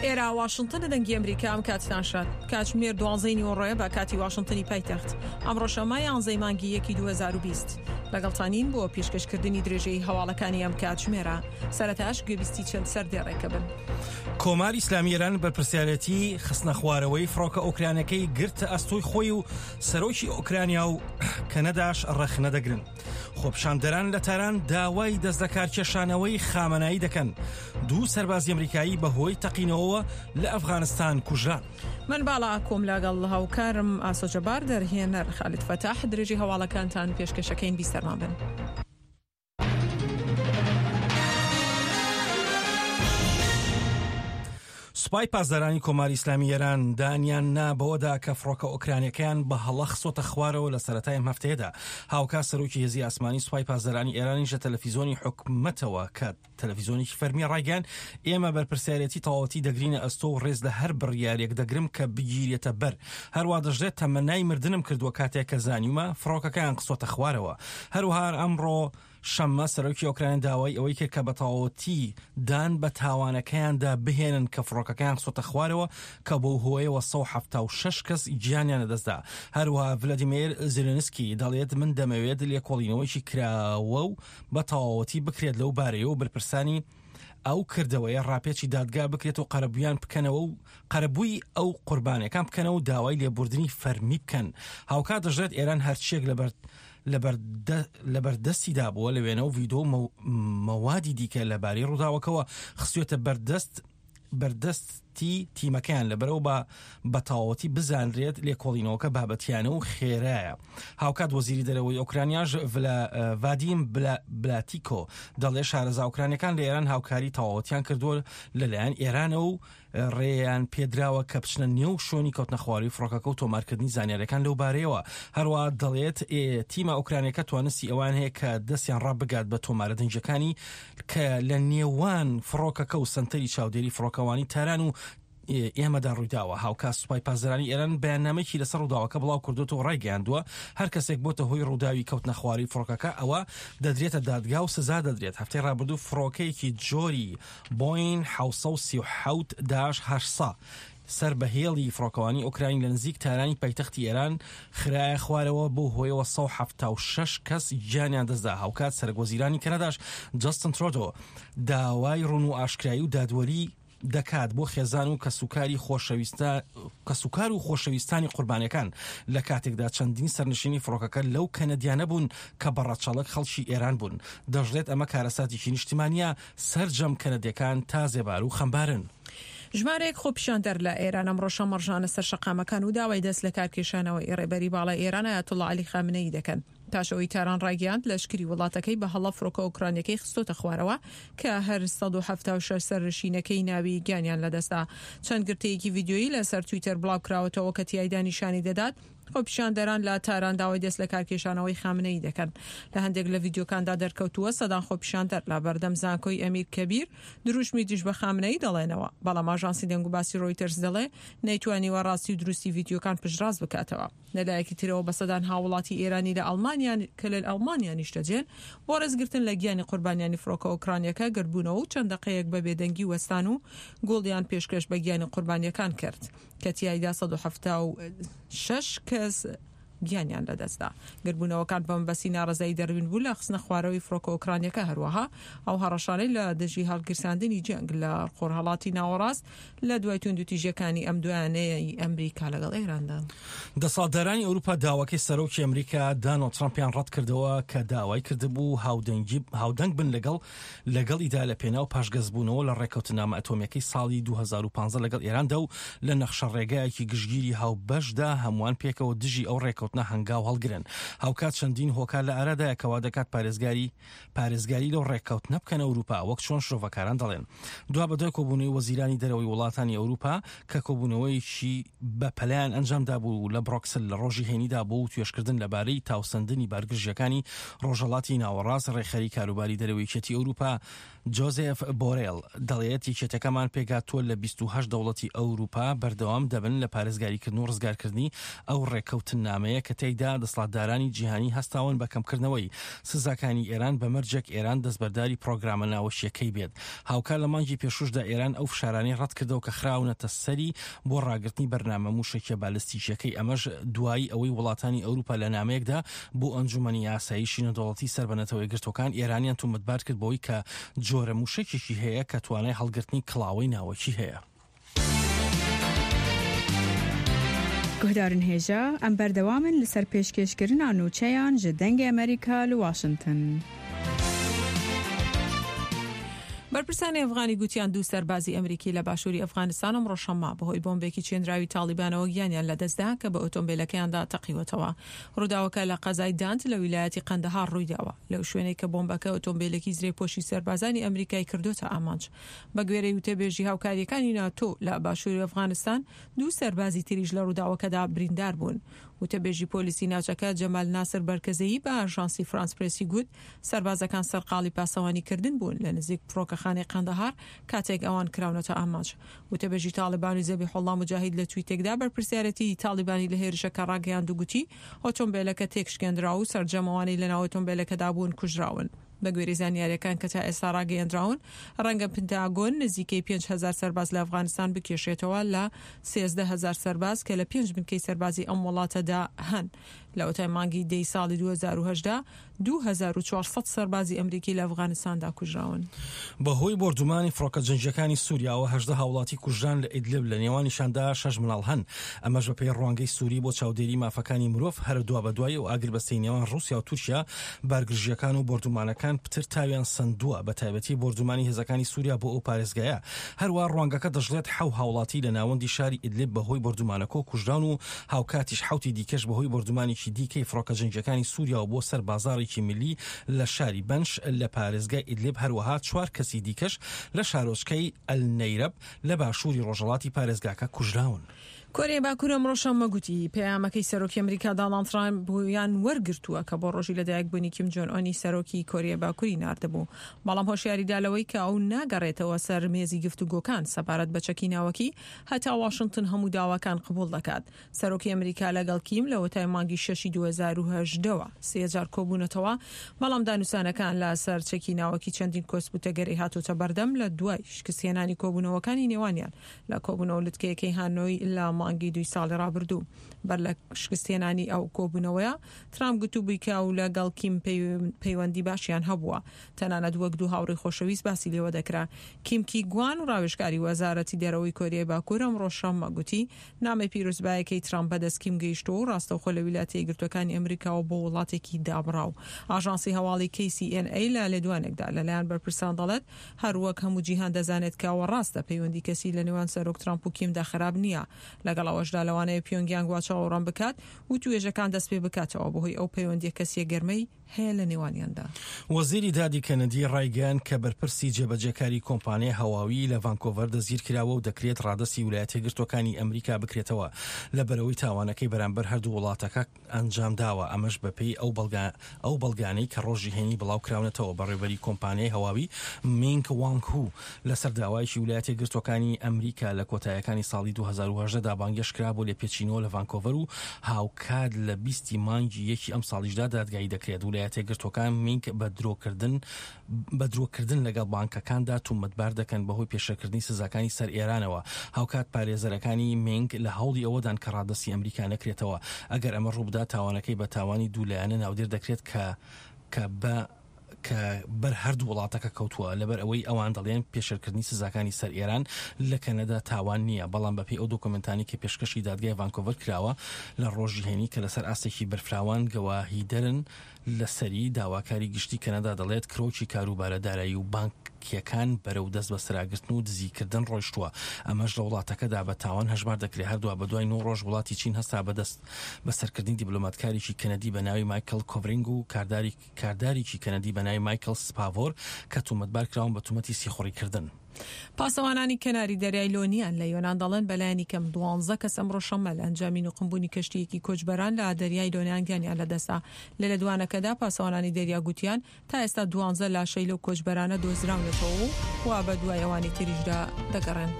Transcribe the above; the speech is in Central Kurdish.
ئێرە واشنتنە دەنگی ئەمریکا ئەم کاتتان شاد کاتژمێر دوانزەی نیوەڕۆیە بە کاتی واشنتنی پایتەخت ئەمڕۆ شەممە یانزەی مانگی یەکی 2020 لەگەڵتانین بۆ پێشکەشکردنی درێژەی هەواڵەکانی ئەم کاتژمێرە سەرەتاش گوێبیستی چەند سەردێڕێکە بن. کۆماری ئیسلامی ئێران بەرپرسیارێتی خستنەخوارەوەی فڕۆکە ئۆکرانەکەی گرتە ئەستۆی خۆی و سەرۆکی ئۆکرانیا و کەنەداش ڕەخنە دەگرن. خۆپیشاندەران لە تاران داوای دەستلەکارکێشانەوەی خامەنایی دەکەن. دوو سەربازی ئەمریکایی بەهۆی تەقینەوەوە لە ئەفغانستان کوژران. من باڵا ئاکۆم لەگەڵ هاوکارم ئاسۆ جەبار دەرهێنەر خالید فەتاح درێژەی هەواڵەکانتان پێشکەشەکەین بیسەرمان بن. سوپای پاسدارانی کۆماری ئیسلامی ئێران دانیان نا بەوەدا کە فڕۆکە ئۆکرانیەکەیان بە هەڵە خستۆتە خوارەوە لە سەرەتای ئەم هەفتەیەدا. هاوکات سەرۆکی هێزی ئاسمانی سوپای پاسدارانی ئێرانیش لە تەلەفیزۆنی حکومەتەوە کە تەلەفیزۆنێکی فەرمیە ڕایگەیاند ئێمە بەرپرسیارێتی تەواوەتی دەگرینە ئەستۆ و ڕێز لە هەر بڕیارێک دەگرم کە بگیرێتە بەر. هەروا دەشڵێت تەمەنای مردنم کردووە کاتێک کە زانیومە فڕۆکەکەیان خستۆتە خوارەوە. هەروەها ئەمڕۆ شەممە سەرۆکی ئۆکرانیا داوای ئەوەی کرد کە بە تەواوەتی دان بە تاوانەکەیاندا بهێنن کە فڕۆکەکەیان خستۆتە خوارەوە کە بەو هۆیەوە 176 کەس گیانیان لەدەستدا. هەروەها ڤلادیمێر زێلێنسکی دەڵێت من دەمەوێت لێکۆڵینەوەیەکی کراوە و بە تەواوەتی بکرێت لەو بارەیەوە و بەرپرسانی ئەو کردەوەیە ڕاپێچی دادگا بکرێت و قەرەبوویان بکەنەوە و قەرەبووی ئەو قوربانیەکان بکەنەوە و داوای لێبوردنی فەرمی بکەن. هاوکات دەشڵێت ئێران هەرچیەک لەبەر لەبەردەستیدا بووە لە وێنە و ڤیدۆ و مەوادی دیکە لەبارەی ڕووداوەکەوە خستوێتە بەردەست بەردەستی تیمەکەیان لەبەرەوە بە بەتەواوەتی بزانرێت لێکۆڵینەوەکە بابەتیانە و خێرایە. هاوکات وەزیری دەرەوەی ئۆکرانیاش ڤادیم بلاتیکۆ دەڵێ شارەزا ئۆکرانیەکان لە ئێران هاوکاری تەواوەتیان کردووە لەلایەن ئێرانەوە و ڕێیان پێدراوە کە بچنە نێو شوێنی کەوتنەخواری فڕۆکەکە و تۆمارکردنی زانیاریەکان لەو بارەیەوە. هەروەها دەڵێت تیمە ئۆکرانیەکە توانستی ئەوان هەیە کە دەستیان ڕابگات بە تۆمارە دەنگیەکانی کە لە نێوان فڕۆکەکە و سەنتەری چاودێری فڕۆکەوانی تاران و ئێمەدا ڕوویداوە. هاوکات سوپای پاسدارانی ئێران بەیاننامەیەکی لەسەر ڕووداوەکە بڵاو کردووەتەوە و ڕایگەیاندووە، هەر کەسێک بۆتە هۆی ڕووداوی کەوتنەخوارەوەی فڕۆکەکە ئەوە دەدرێتە دادگا و سزا دەدرێت. هەفتەی ڕابردوو فڕۆکەیەکی جۆری بۆین 737 داش 800 سەر بە هێڵی فڕۆکەوانی ئۆکراین لە نزیک تارانی پایتەختی ئێران خرایە خوارەوە، بەو هۆیەوە 176 کەس گیانیان دەستدا. هاوکات سەرەکوەزیرانی کەنەداش جەستن ترۆدۆ داوای ڕوون و ئاشکرایی و دادوەری دەکات بۆ خێزان و کەسوکاری خۆشەویستە کەسوکار و خۆشەویستانی قوربانیەکان لە کاتێکدا چەندین سەرنشینی فڕۆکەکە لەو کەنەدیانە بوون کە بە ڕەچەڵەک خەڵکی ئێران بوون. دەشڵێت ئەمە کارەساتێکی نیشتمانییە، سەرجەم کەنەدیەکان تازێبار و خەمبارن. ژمارەیەک خۆپیشاندەر لە ئێران ئەمڕۆ شەممە ڕژانە سەر شەقامەکان و داوای دەست لەکارکێشانەوەی ڕێبەری باڵای ئێران ئایەتوڵڵا عەلی خامنەیی دەکەن. پاش ئەوەی تاران ڕایگەیاند لەشکری وڵاتەکەی بە هەڵە فڕۆکە ئۆکرانیەکەی خستۆتە خوارەوە کە هەر 176 سەرنشینەکەی ناوی گیانیان لەدەستدا. چەند گرتەیەکی ڤیدیۆیی لەسەر تویتەر بڵاوکراوەتەوە کە تیایدا نیشانی دەدات خۆپیشاندەران لە تاران داوای دەستلەکارکێشانەوەی خامنەیی دەکەن. لە هەندێک لە ڤیدیۆکاندا دەرکەوتووە سەدان خۆپیشاندەر لە بەردەم زانکۆی ئەمیر کەبیر دروشمی دژ بە خامنەیی دەڵێنەوە، بەڵام ئاژانسی دەنگوباسی ڕۆیتەرز دەڵێ نەیتوانیوە ڕاستی و دروستی ڤیدیۆکان پشتڕاست بکاتەوە. لە لایەکی ترەوە بە سەدان هاووڵاتی ئێرانی لە ئەڵمانیا کە لە ئەڵمانیا نیشتەجێن بۆ ڕێزگرتن لە گیانی قوربانیانی فڕۆکە ئۆکرانیەکە گردبوونەوە و چەند دەقەیەک بە بێدەنگی وەستان و گوڵیان پێشکەش بە گیانی قوربانیەکان کرد کە تیایدا 176 کەس گیانیان لەدەستدا. گردبوونەوەکان بە مەبەستی ناڕەزایی دەربین بوو لە خستنە خوارەوەی فڕۆکە ئۆکرانیەکە هەروەها ئەو هەڕەشانەی لە دژی هەڵگیرساندنی جەنگ لە خۆرهەڵاتی ناوەڕاست لە دوای توندوتیژیەکانی ئەم دوایانەی ئەمریکا لەگەڵ ئێراندا. دەسەڵاتدارانی ئەوروپا داواکەی سەرۆکی ئەمریکا دانۆڵد ترەمپیان ڕەتکردەوە کە داوای کردبوو هاودەنگی هاودەنگ بن لەگەڵ لەگەڵیدا لە پێناو پاشگەزبوونەوە لە ڕێککەوتننامە ئەتۆمییەکەی ساڵی 2015 لەگەڵ ئێراندا و لە نەخشەڕێگایەکی گشتگیری هاوبەشدا هەمووان پێکەوە دژی ئەو ڕێککەوتنە هەنگاو هەڵگرن. هاوکات چەندین هۆکار لە ئارادایە کە وادەکات پارێزگاری پارێزگاری لەو ڕێککەوتنە بکەنە ئەوروپا، وەک چۆن شرۆڤەکاران دەڵێن. دوابەدوای کۆبوونەوەی وەزیرانی دەرەوەی وڵاتانی ئەوروپا کە کۆبوونەوەیەکی بەپەلەیان ئەنجامدابوو لە بڕۆکسل لە ڕۆژی هەینیدا بۆ وتوێژکردن لەبارەی تاوسەندنی بارگرژییەکانی ڕۆژهەڵاتی ناوەڕاست، ڕێکخەری کاروباری دەرەوەی یەکێتی ئەوروپا جۆزێف بۆرێل دەڵێت، یەکێتیەکەمان پێکهاتووە لە 28 دەوڵەتی ئەوروپا، بەردەوام دەبن لە پارێزگاریکردن و ڕزگارکردنی ئەو ڕێککەوتننامەیە. نامەیە کە تێیدا دەسڵاتدارانی جیهانی هەستاون بە کەمکردنەوەی سزاکانی ئێران بە مەرجێک ئێران دەستبەرداری پرۆگرامە ناوەکییەکەی بێت. هاوکات لە مانگی پێشووشدا ئێران ئەو فشارانەی ڕەتکردەوە کە خراونەتە سەری بۆ ڕاگرتنی بەرنامە مووشەکیە بالستیکیەکەی، ئەمەش دوایی ئەوەی وڵاتانی ئەوروپا لە نامەیەکدا بۆ ئەنجومەنی ئاسایشی نێودەوڵەتی سەر بە نەتەوە یەکگرتووەکان ئێرانیان تومەتبار کرد بەوەی کە جۆرە مووشەکێکی هەیە کە توانای هەڵگرتنی کڵاوەی ناوەکی هەیە. Guhdarên hêja, em berdewam in li ser pêşkêşkirina nûçeyan ji Dengê Amerîka li Washington. بەرپرسانی ئەفغانی گوتیان دوو سەربازی ئەمریکی لە باشووری ئەفغانستان ئەمڕۆ شەممە بەهۆی بۆمبێکی چێنراوی تاڵیبانەوە گیانیان لەدەستدا کە بە ئۆتۆمبێلەکەیاندا تەقیوەتەوە. ڕووداوەکە لە قەزای دانت لە ویلایەتی قەندەهار ڕوویداوە، لەو شوێنەی کە بۆمبەکە ئۆتۆمبێلێکی زرێپۆشی سەربازانی ئەمریکای کردۆتە ئامانج. بەگوێرەی وتەبێژی هاوکارییەکانی ناتۆ لە باشووری ئەفغانستان، دوو سەربازی تریش لە ڕووداوەکەدا بریندار بوون. وتەبێژی پۆلیسی ناوچەکە جەمال ناسر بەرکەزەیی بە ئاژانسی فرانس پرێسی گوت، سەربازەکان سەرقاڵی پاسەوانیکردن بوون لە نزیک فڕۆکەخانەی قەندەهار کاتێک ئەوان کراونەتە ئامانج. وتەبێژی تاڵیبان و زەبیحوڵڵا موجاهید لە تویتێکدا بەرپرسیارێتیی تاڵیبانی لە هێرشەکە ڕاگەیاند و گوتی، ئۆتۆمبێلەکە تێکشکێندرا و سەرجەم ئەوانەی لەناو ئۆتۆمبێلەکەدا بوون کوژراون. بەگوێرەی زانیارییەکان کە تا ئێستا ڕاگەیەندراون، ڕەنگە پنتاگۆن نزیکەی 5000 سەرباز لە ئەفغانستان بکێشێتەوە لە 13 هەزار سەرباز کە لە پێنج بنکەی سەربازی ئەم وڵاتەدا هەن. لەوەتای مانگی دەی ساڵی 2018 2400 سەربازی ئەمریکی لە ئەفغانستاندا کوژراون. بەهۆی بۆردومانی فڕۆکە جەنگییەکانی سوریاوە 18 هاوڵاتی کوژران لە ئیدلب، لە نێوانیشاندا شەش مناڵ هەن، ئەمەش بەپێی ڕوانگەی سوری بۆ چاودێری مافەکانی مرۆڤ. هەر دوابەدوای ئەو ئاگربەستەی نێوان ڕوسیا و تورکیا، بارگرژییەکان و بۆردومانەکان پتر تاویان سەندووە، بەتایبەتی بۆردومانی هێزەکانی سوریا بۆ ئەو پارێزگایە. هەروا ڕوانگەکە دەشڵێت حەو هاوڵاتی لە ناوەندی شاری ئیدلب بەهۆی بۆردومانەکەوە کوژراون و هاوکاتیش حەوتی دیکەش بەهۆی بۆردومانێکی دیکەی فڕۆکە جەنگییەکانی سوریاوە بۆ سەر بازاڕێکی میللی لە شاری بەنش لە پارێزگای ئیدلب، هەروەها چوار کەسی دیکەش لە شارۆچکەی ئەلنەیرەب لە باشووری ڕۆژهەڵاتی پارێزگاکە کوژراون. کۆریای باکوور ئەمڕۆ شەممە گوتی، پەیامەکەی سەرۆکی ئەمریکا داڵاند ترامپیان وەرگرتووە کە بۆ ڕۆژی لەدایکبوونی کیم جۆن ئۆنی سەرۆکی کۆریای باکووری ناردبوو، بەڵام هۆشیاریدا لەوەی کە ئەو ناگەڕێتەوە سەر مێزی گفتوگۆکان سەبارەت بە چەکی ناوەکی هەتا واشنتن هەموو داواکان قبوڵ دەکات. سەرۆکی ئەمریکا لەگەڵ کیم لەوەتای مانگی شەشی 2018 وە سێ جار کۆبوونەتەوە، بەڵام دانوسانەکان لە سەر چەکی ناوەکی چەندین کۆسپ و تەگەرەی هاتۆتە بەردەم لە دوای شکستهێنانی کۆبوونەوەکانی نێوانیان لە کۆبوونەوە لوتکەیەکەی هانۆی لە مانگی دووی ساڵی ڕابردوو. بەر لە شکستهێنانی ئەو کۆبوونەوەیە، ترامپ گوتوبووی کە ئەو لەگەڵ کیم پەیوەندی باشیان هەبووە، تەنانەت وەک دوو هاوڕێی خۆشەویست باسی لێوە دەکرا. کیم کی گوان، ڕاوێژکاری وەزارەتی دەرەوەی کۆریای باکوور ئەمڕۆ شەممە گوتی، نامەی پیرۆزبایەکەی ترامپ بەدەست کیم گەیشتووە و ڕاستەوخۆ لە ویلایەتە یەکگرتووەکانی ئەمریکاوە بۆ وڵاتێکی دابڕاو. ئاژانسی هەواڵی کەی سی ئێن ئەی لە لێدوانێکدا لەلایەن بەرپرسان دەڵێت، هەر وەک هەموو جیهان دەزانێت کە ئەوە ڕاستە پەیوەندی کەسی لە نێوان سەرۆک ترامپ و کیمدا خراپ نییە، لەگەڵ ئەوەشدا لەوانەیە پیۆنگیانگ وا چاوەڕوان بکات وتوێژەکان دەست پێ بکاتەوە بەهۆی ئەو پەیوەندییە کەسییە گەرمەی هەیە لە نێوانیاندا. وەزیری دادی کەنەدی ڕایگەیاند کە بەرپرسی جێبەجێکاری کۆمپانیای هەواوی لە ڤانکۆڤەر دەستگیرکراوە و دەکرێت ڕادەستی ویلایەتەیەکگرتووەکانی ئەمریکا بکرێتەوە لەبەرئەوەی تاوانەکەی بەرامبەر هەردوو وڵاتەکە ئەنجامداوە، ئەمەش بەپێی ئەو بەڵگە ئەو بەڵگانەی کە ڕۆژی هەینی بڵاوکراونەتەوە. بەڕێوبەری کۆمپانیای هەواوی مینگ وانگ هو لەسەر داوایەکی ویلایەتە یەکگرتووەکانی ئەمریکا لە کۆتاییەکانی ساڵی 2018 دا بانگهێشت کرا بۆ لێپێچینەوە لە ڤانکۆڤەر و هاوکات لە 20 ی مانگی یەکی ئەمساڵیشدا دادگایی دەکرێت. ویلایەتە یەکگرتووەکان مینگ بە درۆکردن بە درۆکردن لەگەڵ بانکەکاندا تومەتبار دەکەن بەهۆی پێشێلکردنی سزاکانی سەر ئێرانەوە. هاوکات پارێزەرەکانی مینگ لە هەوڵی ئەوەدان کە ڕادەستی ئەمریکا نەکرێتەوە. ئەگەر ئەمە ڕووبدات تاوانەکەی بە تاوانی دوو لایەنە ناودێر دەکرێت کە کە بە کە بەر هەردوو وڵاتەکە کەوتووە، لەبەر ئەوەی ئەوان دەڵێن پێشێلکردنی سزاکانی سەر ئێران لە کەنەدا تاوان نییە، بەڵام بەپێی ئەو دۆکۆمێنتانەی کە پێشکەشی دادگای ڤانکۆڤەر کراوە لە ڕۆژی هەینی کە لەسەر ئاستێکی بەرفراوان گەواهیدەرن لەسەری، داواکاری گشتی کەنەدا دەڵێت کرۆکی کاروبارە دارایی و بانکییەکان بەرەو دەستبەسەراگرتن و دزیکردن ڕۆیشتووە، ئەمەش لە وڵاتەکەدا بە تاوان هەژمار دەکرێت. هەر دوابەدوای نۆ ڕۆژ وڵاتی چین هەستا بە دەست بەسەرکردنی دیبلۆماتکارێکی کەنەدی بە ناوی مایکڵ کۆڤرینگ و کاردارێکی کەنەدی بە ناوی مایکڵ سپاڤۆر کە تومەتبار کراون بە تومەتی سیخوڕیکردن. پاسەوانانی کەناری دەریای لۆنیان لە یۆنان دەڵێن بەلایەنی کەم دوانزە کەس ئەمڕۆ شەممە لە ئەنجامی نوقمبوونی کەشتییەکی کۆچبەران لە دەریای لۆنیان گیانیان لەدەستدا. لە لێدوانەکەدا پاسەوانانی دەریا گوتیان تا ئێستا دوانزە لاشەی لەو کۆچبەرانە دۆزراونەتەوە و وا بە دوای ئەوانی تریشدا دەگەڕێن.